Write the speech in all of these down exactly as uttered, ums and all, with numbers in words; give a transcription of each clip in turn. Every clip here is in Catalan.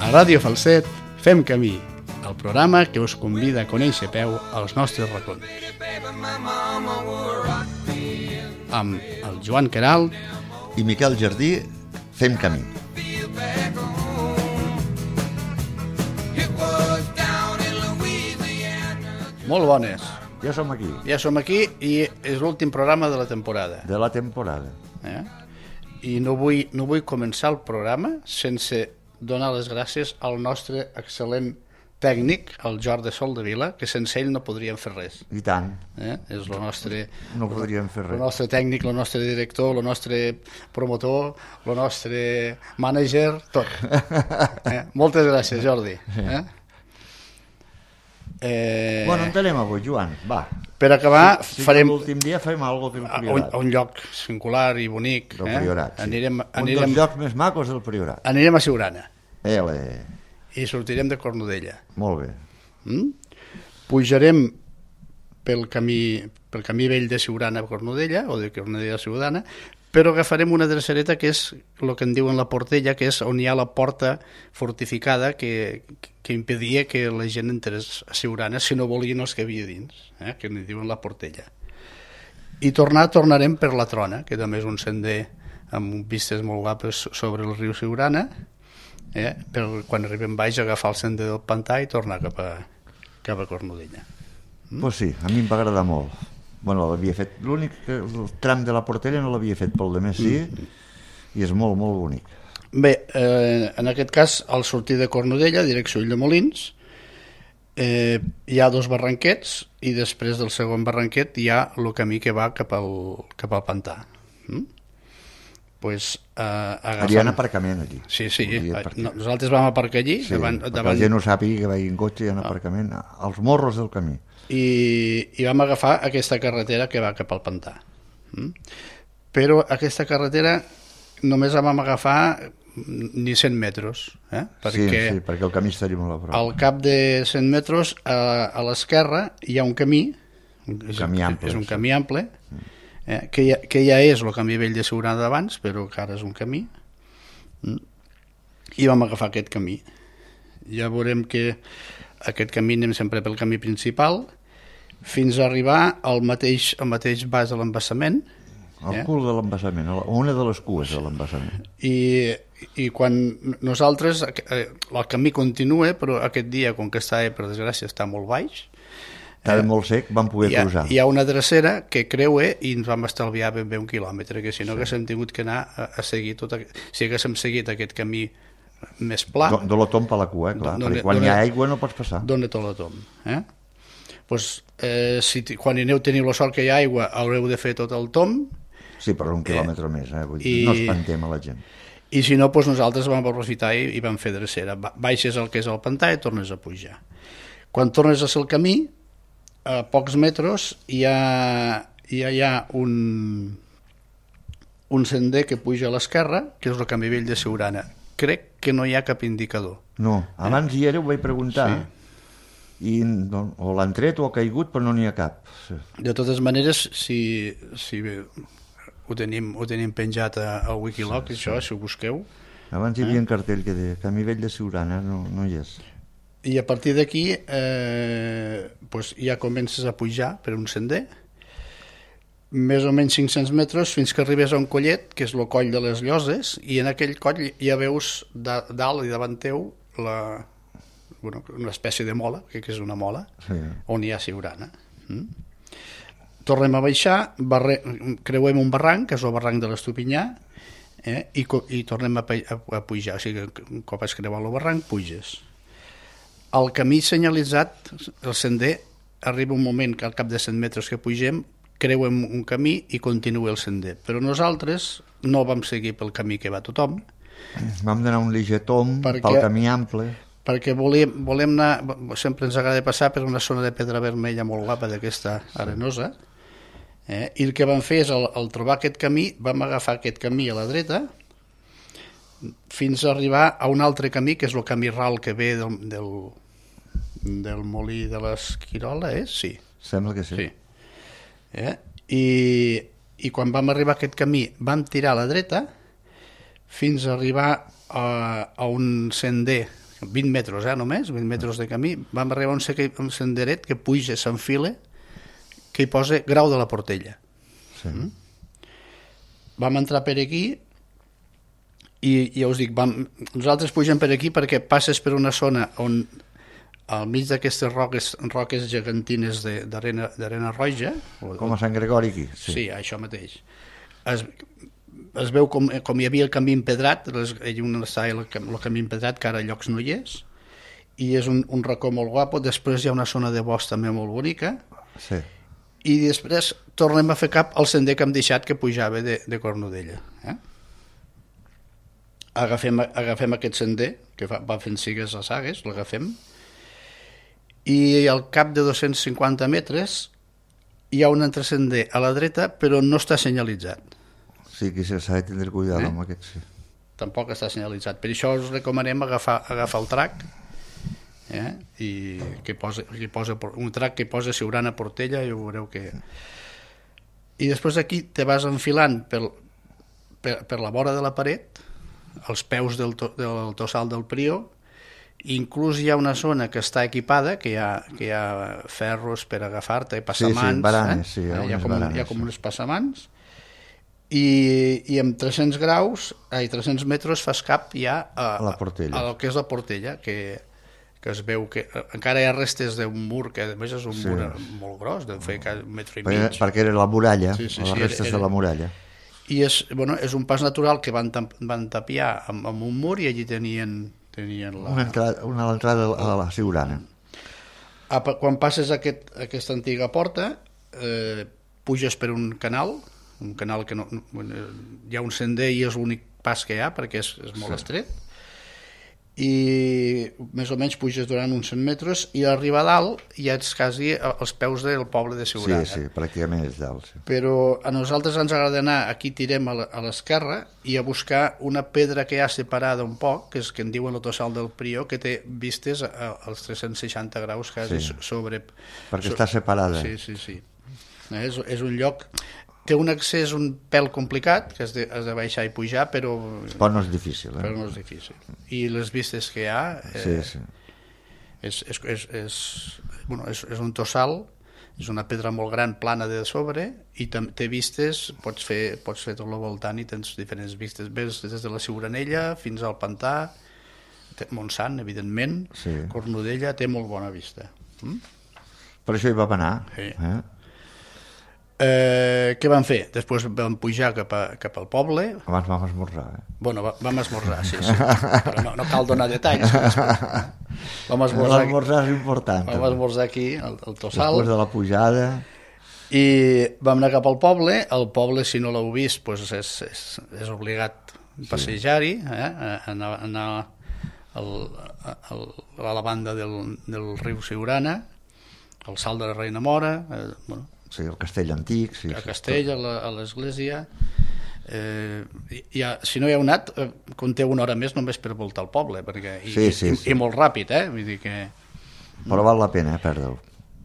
A Ràdio Falset fem camí, el programa que us convida a conèixer a peu als nostres racons. Amb el Joan Queralt i Miquel Jardí fem camí. Molt bones. Ja som aquí. Ja som aquí i és l'últim programa de la temporada. De la temporada. Eh? I no vull, no vull començar el programa sense donar les gràcies al nostre excel·lent tècnic, el Jordi Soldevila, que sense ell no podríem fer res. I tant. Eh? És el nostre... No podríem fer res. El nostre tècnic, el nostre director, el nostre promotor, el nostre mànager, tot. Eh? Moltes gràcies, Jordi. Eh? Eh... Bueno, on anem avui, Joan? Va. Per acabar, sí, sí, farem... l'últim dia fem alguna cosa del a un, Priorat. a un lloc singular i bonic. Del eh? Priorat, sí. Anirem, un anirem, dels llocs més macos del Priorat. Anirem a Siurana. Ele. I sortirem de Cornudella. Molt bé. Mm? Pujarem pel camí, pel camí vell de Siurana a Cornudella, o de Cornudella a Siurana, però agafarem una drecereta que és el que en diuen la Portella, que és on hi ha la porta fortificada que, que impedia que la gent entrés a Siurana si no volien els que havia dins, eh? Que en diuen la Portella. I tornar, tornarem per la Trona, que també és un sender amb vistes molt guapes sobre el riu Siurana, eh? Per quan arribem baix agafar el sender del pantà i tornar cap a, cap a Cornudella. Mm? Pues sí, a mi em va agradar molt. Bueno, l'havia fet, l'únic que el tram de la Portella no l'havia fet, pel demés sí, mm. i és molt, molt bonic. Bé, eh, en aquest cas, al sortir de Cornudella, direcció Ulldemolins, eh, hi ha dos barranquets i després del segon barranquet hi ha el camí que va cap al, cap al pantà. Mm? Pues, eh, agafant... Hi ha un aparcament aquí. Sí, sí, no, nosaltres vam aparcar allí. Sí, davant, perquè davant... la gent no sàpiga que vagi en cotxe, hi ha un aparcament als morros del camí. I, i vam agafar aquesta carretera que va cap al pantà. Mm? Però aquesta carretera només la vam agafar ni cent metres. Eh? Perquè sí, sí, perquè el camí estaria molt a prop. Al cap de cent metres a, a l'esquerra hi ha un camí, un camí ample, és un camí ample, eh? que, ja, que ja és el camí vell de Siurana d'abans, però que ara és un camí. Mm? I vam agafar aquest camí. Ja veurem que aquest camí anem sempre pel camí principal fins a arribar al mateix, al mateix vas de l'embassament. El eh? cul de l'embassament, una de les cues de l'embassament. I, i quan nosaltres, eh, el camí continua, però aquest dia, com que està, per desgràcia, està molt baix, estava eh, molt sec, vam poder hi ha, cruzar. Hi ha una drecera que creua i ens vam estalviar ben bé un quilòmetre, que si no sí. haguéssim tingut que anar a, a seguir tot, si haguéssim seguit aquest camí més pla... Do, de la tomba a la cua, eh, clar, perquè quan hi ha aigua no pots passar. Dóna tot la tom, eh? Pues, eh, si quan aneu teniu la sort que hi ha aigua, haureu de fer tot el tom. Sí, però un quilòmetre eh, més, eh? Vull dir, i, no espantem a la gent. I si no, pues nosaltres vam aprofitar i, i vam fer drecera. Baixes el que és el pantà i tornes a pujar. Quan tornes a ser el camí, a pocs metres hi ha, hi ha, hi ha un, un sender que puja a l'esquerra, que és el camí vell de Siurana. Crec que no hi ha cap indicador. No, abans eh? hi era, ho vaig preguntar. Sí. I no, o l'han tret o ha caigut, però no n'hi ha cap. Sí. De totes maneres, si, si bé, ho, tenim, ho tenim penjat a, a Wikiloc, sí, això, sí. Si ho busqueu. Abans hi havia eh? un cartell que deia Camí vell de Siurana, no, no hi és. I a partir d'aquí eh, pues ja comences a pujar per un sender, més o menys cinc-cents metres, fins que arribes a un collet, que és el coll de les Lloses, i en aquell coll ja veus de, dalt i davant teu la... Bueno, una espècie de mola, que és una mola, sí. On hi ha Siurana. Mm? Tornem a baixar, barre... creuem un barranc, que és el barranc de l'Estupinyà, eh? I, i tornem a, a, a pujar. O sigui, un cop has creuat el barranc, puges. El camí senyalitzat, el sender, arriba un moment que al cap de cent metres que pugem, creuem un camí i continua el sender. Però nosaltres no vam seguir pel camí que va tothom. Vam donar un liger tom perquè... pel camí ample... perquè volem, volem anar, sempre ens agrada passar per una zona de pedra vermella molt guapa d'aquesta arenosa, eh? I el que vam fer és, al, al trobar aquest camí, vam agafar aquest camí a la dreta fins a arribar a un altre camí, que és el camí ral que ve del, del, del molí de l'Esquirola, eh? Sí. Sembla que sí. Sí. Eh? I, I quan vam arribar a aquest camí vam tirar a la dreta fins a arribar a, a un sender vint metres, eh, només, vint metres de camí, vam arribar a un, seque, un senderet que puja, s'enfila, que hi posa Grau de la Portella. Sí. Mm? Vam entrar per aquí i ja us dic, vam, nosaltres pugem per aquí perquè passes per una zona on al mig d'aquestes roques, roques gegantines d'arena roja... Com a Sant Gregori aquí. Sí, sí això mateix. Es, es veu com, com hi havia el camí empedrat, hi un estava el, el camí empedrat, que ara a llocs no hi és, i és un, un racó molt guapo. Després hi ha una zona de bosc també molt bonica, sí. I després tornem a fer cap al sender que hem deixat que pujava de, de Cornudella. Eh? Agafem, agafem aquest sender, que va, va fent sigues a sagues, l'agafem, i al cap de dos-cents cinquanta metres hi ha un altre sender a la dreta, però no està senyalitzat. Sí, que s'ha de tindre cuidado eh? amb aquest, sí. Tampoc està senyalitzat. Per això us recomanem agafar, agafar el trac, eh? I que posa, que posa, un trac que posa Siurana Portella, i ho veureu que... I després aquí te vas enfilant per, per, per la vora de la paret, als peus del, to, del tossal del Prió. Inclús hi ha una zona que està equipada, que hi ha, que hi ha ferros per agafar-te, passamans, sí, sí, baranes, eh? sí, hi ha, hi ha, com, baranes, hi ha com sí. uns passamans, i, i amb tres-cents graus, ai, tres-cents metres fas cap ja a, a la Portella, a, a el que és la Portella, que, que es veu que encara hi ha restes d'un mur, que a més és un sí. mur molt gros, de fer un metre i mig. Perquè, perquè era la muralla, sí, sí, les sí, restes era, era... de la muralla. I és, bueno, és un pas natural que van, van tapiar amb, amb un mur, i allí tenien... tenien la... una, entrada, una entrada a la Siurana. Quan passes aquest, aquesta antiga porta, eh, puges per un canal, un canal que no, hi ha un sender i és l'únic pas que hi ha perquè és, és molt sí. estret, i més o menys puges durant uns cent metres i a arribar a dalt ja ets quasi als peus del poble de Siurana. Sí, sí, pràcticament és dalt. Sí. Però a nosaltres ens agrada anar, aquí tirem a l'esquerra i a buscar una pedra que hi ha separada un poc, que és que en diuen el tossal del Prió, que té vistes als tres-cents seixanta graus quasi sí. sobre... Perquè so... està separada. Sí, sí, sí. És, és un lloc... Té un accés un pèl complicat, que has de, has de baixar i pujar, però... Però no és difícil, eh? Però no és difícil. I les vistes que hi ha... Eh, sí, sí. És, és, és, és, bueno, és, és un tossal, és una pedra molt gran, plana de sobre, i té vistes, pots fer, pots fer tot el voltant i tens diferents vistes. Ves des de la Siuranella fins al pantà, Montsant, evidentment, sí. Cornudella, té molt bona vista. Mm? Per això hi vam anar. Sí. Eh? Eh, què vam fer? Després vam pujar cap, a, cap al poble. Abans vam esmorzar, eh? Bueno, va, vam esmorzar, sí, sí. Però no, no cal donar detalls. Vam esmorzar, l'esmorzar és important. Vam esmorzar aquí, al, al Tossal. Després de la pujada... I vam anar cap al poble. El poble, si no l'heu vist, doncs és, és, és obligat passejar-hi, eh? anar, anar al, al, a la banda del, del riu Siurana, al Salt de la Reina Mora, eh, bueno, sí, el castell antic, sí, a sí, castell, a, la, a l'església. Eh, ja, si no hi heu anat, eh, compteu una hora més només per voltar el poble, perquè, i, sí, sí, i, sí. i molt ràpid, eh? Vull dir que... Però val la pena, eh, perdre-ho.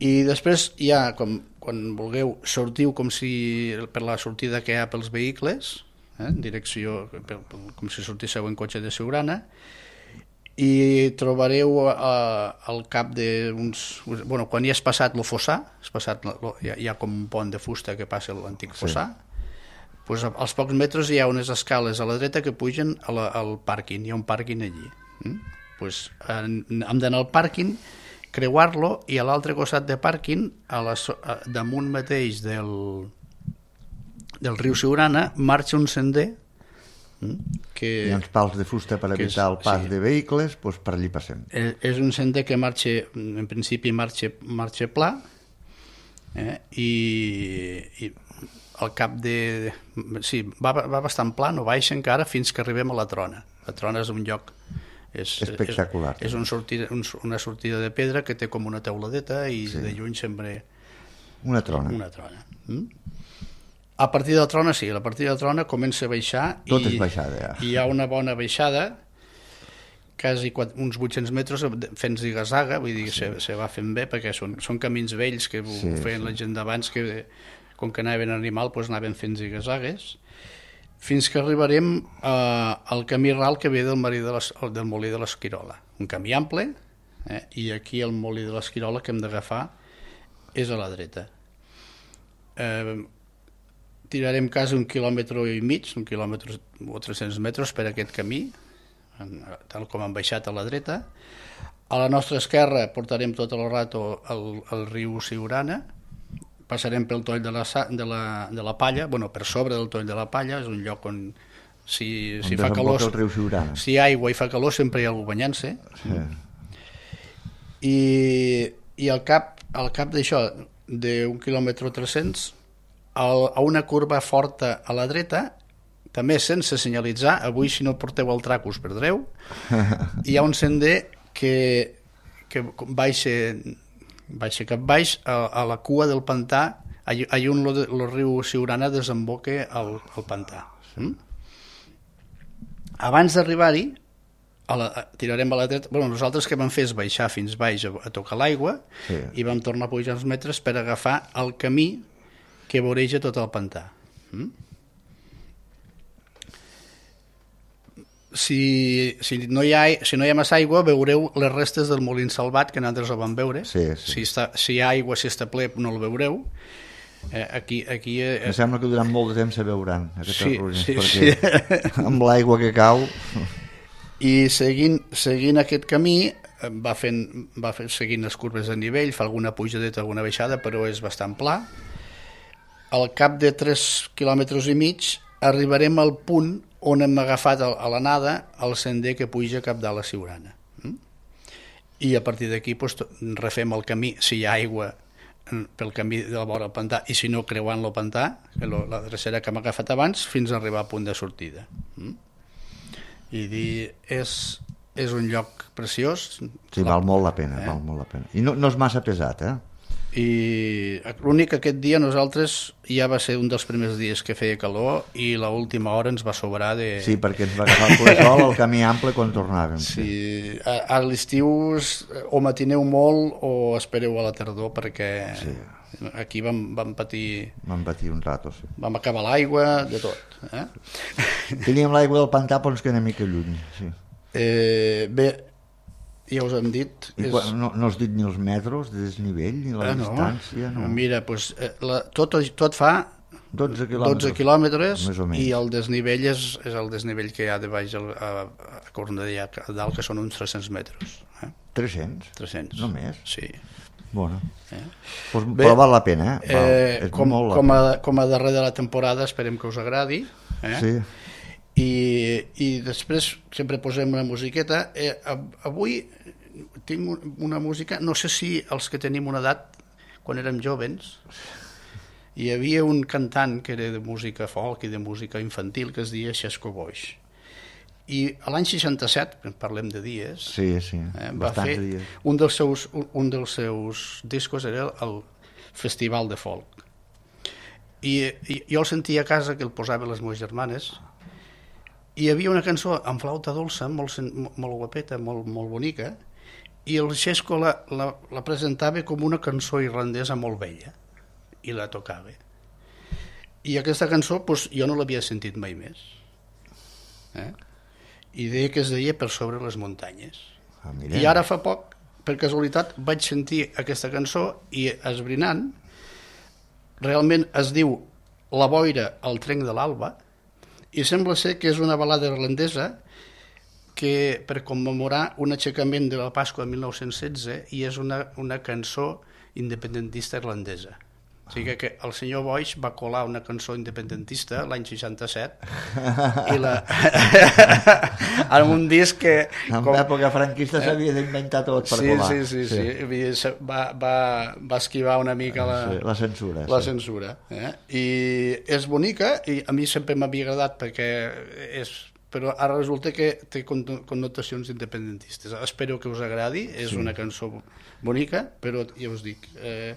I després ja, com, quan vulgueu, sortiu com si per la sortida que hi ha pels vehicles, eh, en direcció, per, com si sortísseu en cotxe de Siurana, i trobareu eh, al cap d'uns... Bueno, quan ja has passat el fossar, has passat, lo, hi, ha, hi ha com un pont de fusta que passa l'antic fossar, sí. Pues als pocs metres hi ha unes escales a la dreta que pugen a la, al pàrquing, hi ha un pàrquing allí. Mm? Pues, en, hem d'anar al pàrquing, creuar-lo, i a l'altre costat de pàrquing, a la, a, damunt mateix del, del riu Siurana, marxa un sender que... Hi ha uns pals de fusta per evitar és, el pas sí. de vehicles, doncs per allí passem. És, és un sender que marxa, en principi marxa, marxa pla, eh? I, i al cap de... Sí, va, va bastant pla, no baixa encara fins que arribem a la Trona. La Trona és un lloc... És, espectacular. És, és un sortida, un, una sortida de pedra que té com una teuladeta i sí. de lluny sembla... Una trona. Una trona. Mm? A partir de la Trona, sí, a partir de la Trona comença a baixar. Tot i, és baixada, ja. I hi ha una bona baixada, quasi quatre, uns vuit-cents metres fent ziga-zaga, vull dir que sí. se, se va fent bé, perquè són, són camins vells que sí, feien sí. la gent d'abans, que com que anaven en animal, doncs anaven fent ziga-zagues, fins que arribarem eh, al camí ral que ve del, marí de les, del molí de l'Esquirola. Un camí ample, eh, i aquí el molí de l'Esquirola que hem d'agafar és a la dreta. Eh, tirarem quasi un quilòmetre i mig, un quilòmetre o tres-cents metres per aquest camí, tal com han baixat a la dreta. A la nostra esquerra portarem tot el rato el, el riu Siurana, passarem pel toll de la, de, la, de la Palla, bueno, per sobre del toll de la Palla, és un lloc on si, on si fa calor, el riu Siurana. Si hi ha aigua i fa calor sempre hi ha algú banyant-se. Sí. I, i al cap, al cap d'això, d'un quilòmetre o tres-cents, al, a una curva forta a la dreta, també sense senyalitzar, avui si no porteu el traco us perdreu, hi ha un sender que, que baixa, baixa cap baix a, a la cua del pantà, allà on el riu Siurana desemboca al, al pantà. Mm? Abans d'arribar-hi, a la, tirarem a la dreta. Bueno, nosaltres que vam fer és baixar fins baix a, a tocar l'aigua, sí. I vam tornar a pujar uns metres per agafar el camí que voreja tot el pantà. Mm? Si, si, no hi ha, si no hi ha massa aigua, veureu les restes del molí salvat, que nosaltres el vam veure. Sí, sí. Si, està, si hi ha aigua, si està ple, no el veureu. Eh, aquí, aquí, eh, em sembla que durant molt de temps se veuran aquestes sí, ruïnes, sí, perquè sí. Amb l'aigua que cau... I seguint, seguint aquest camí, va, fent, va fent, seguint les curves de nivell, fa alguna pujadeta, alguna baixada, però és bastant pla. Al cap de tres quilòmetres i mig arribarem al punt on hem agafat a l'anada el sender que puja cap de la Siurana. I a partir d'aquí doncs, refem el camí, si hi ha aigua, pel camí de la vora del pantà, i si no, creuant el pantà, que la drecera que hem agafat abans, fins a arribar a punt de sortida. I dir, és, és un lloc preciós. Sí, val molt la pena, eh? val molt la pena. I no, no és massa pesat, eh? I l'únic que aquest dia nosaltres ja va ser un dels primers dies que feia calor i l'última hora ens va sobrar de... Sí, perquè ens va agafar el polesol el camí ample quan tornàvem. Sí, sí. A, a l'estiu o matineu molt o espereu a la tardor perquè sí. Aquí vam, vam patir... Vam patir un rato, sí. Vam acabar l'aigua, de tot. Eh? Teníem l'aigua del pantà però ens queda una mica lluny, sí. Eh, bé, ja us hem dit... I és... quan, no, no has dit ni els metres de desnivell, ni la ah, no. distància? No. Mira, doncs, la, tot, tot fa dotze quilòmetres, dotze quilòmetres més o menys. I el desnivell és, és el desnivell que hi ha de baix a, a, a Cornellà, a dalt, que són uns tres-cents metres. Eh? tres-cents? tres-cents. Només? Sí. Bueno. Eh? Pues, Bé, però val la pena, eh? Val, eh és com, molt com, a, pena. com a darrer de la temporada esperem que us agradi. Eh? Sí. I, I després sempre posem una musiqueta. Eh, avui tinc una música, no sé si els que tenim una edat, quan érem jovens, hi havia un cantant que era de música folk i de música infantil que es deia Xesco Boix. I l'any seixanta-set, parlem de dies, sí, sí, eh, va fer dies. Un, dels seus, un, un dels seus discos era el Festival de Folk. I, i jo el sentia a casa, que el posava les meves germanes, i hi havia una cançó amb flauta dolça, molt, molt guapeta, molt, molt bonica, i el Xesco la, la, la presentava com una cançó irlandesa molt vella, i la tocava. I aquesta cançó doncs, jo no l'havia sentit mai més. Eh? I deia que es deia Per sobre les muntanyes. Ah, I ara fa poc, per casualitat, vaig sentir aquesta cançó i esbrinant, realment es diu La boira al trenc de l'alba, i sembla ser que és una balada irlandesa que per commemorar un aixecament de la Pasqua de mil nou-cents setze, i és una, una cançó independentista irlandesa. O sigui que el senyor Boix va colar una cançó independentista l'any seixanta-set i la... en un disc que... En com... l'època franquista s'havia d'inventar tot per sí, colar. Sí, sí, sí, sí. sí. Va, va, va esquivar una mica la, sí, la censura. La sí. censura eh? I és bonica i a mi sempre m'havia agradat perquè és... però ara resulta que té connotacions independentistes. Espero que us agradi, és sí. Una cançó bonica, però ja us dic... Eh,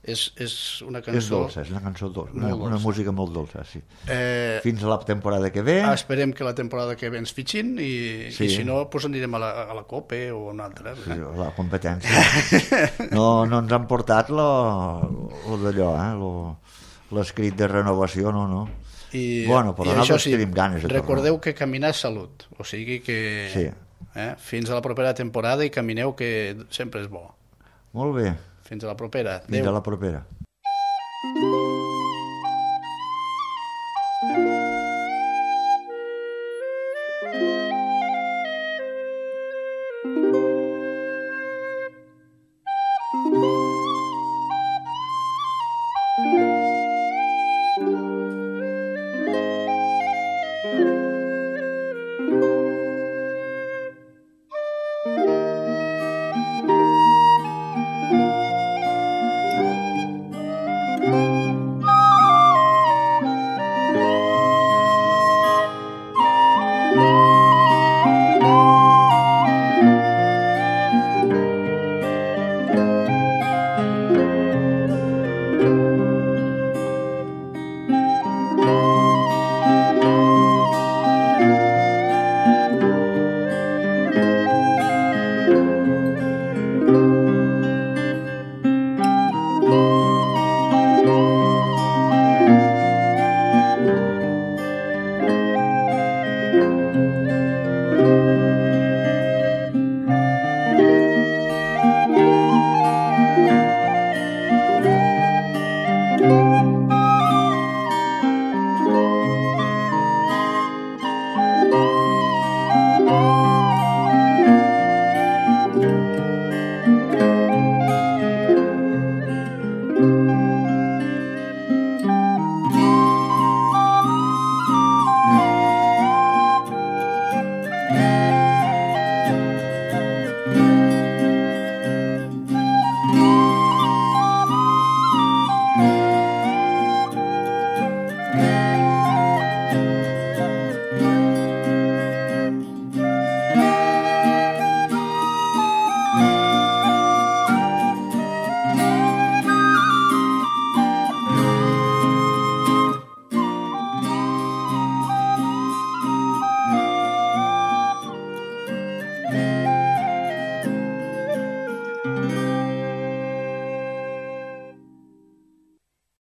És, és una cançó... És dolça, és una cançó dolça, una, dolça. Una música molt dolça, sí. Eh, Fins a la temporada que ve... Esperem que la temporada que ve ens fitxin i, sí. I si no, doncs anirem a la, a la COPE o a una altra. Sí, eh? La competència. No, no ens han portat lo, lo d'allò, eh? Lo, l'escrit de renovació, no, no. I, bueno, però i nosaltres això sí, tenim ganes de recordeu tornar. que caminar és salut, o sigui que Sí. eh, fins a la propera temporada i camineu, que sempre és bo. Molt bé, Fins a la propera. fins Adéu. a la propera. Thank you.